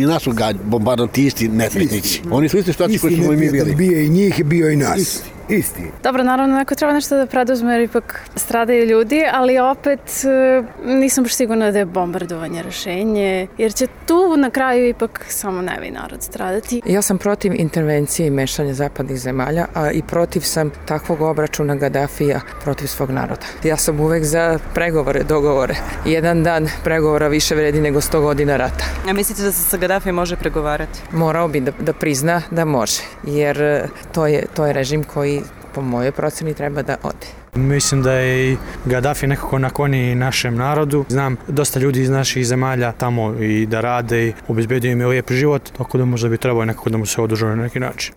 i nas su bombardantisti nesretnici. Oni su isti situaciji koji smo i mi bili. Bio i njih, bio i nas. Isti. Dobro, naravno, neko treba nešto da preduzme jer ipak stradaju ljudi, ali opet nisam baš sigurna da je bombardovanje rešenje, jer će tu na kraju ipak samo nevin narod stradati. Ja sam protiv intervencije i mešanja zapadnih zemalja, a i protiv sam takvog obračuna Gadafija protiv svog naroda. Ja sam uvek za pregovore, dogovore. Jedan dan pregovora više vredi nego 100 godina rata. A mislite da se sa Gadafijem može pregovarati? Morao bi da prizna da može, jer to je režim koji po mojoj proceni treba da ode. Mislim da je i Gadafi nekako naklonjen našem narodu. Znam dosta ljudi iz naših zemalja tamo i da rade i obezbedio im je lijep život, tako da možda bi trebalo nekako da mu se odužuje na neki način.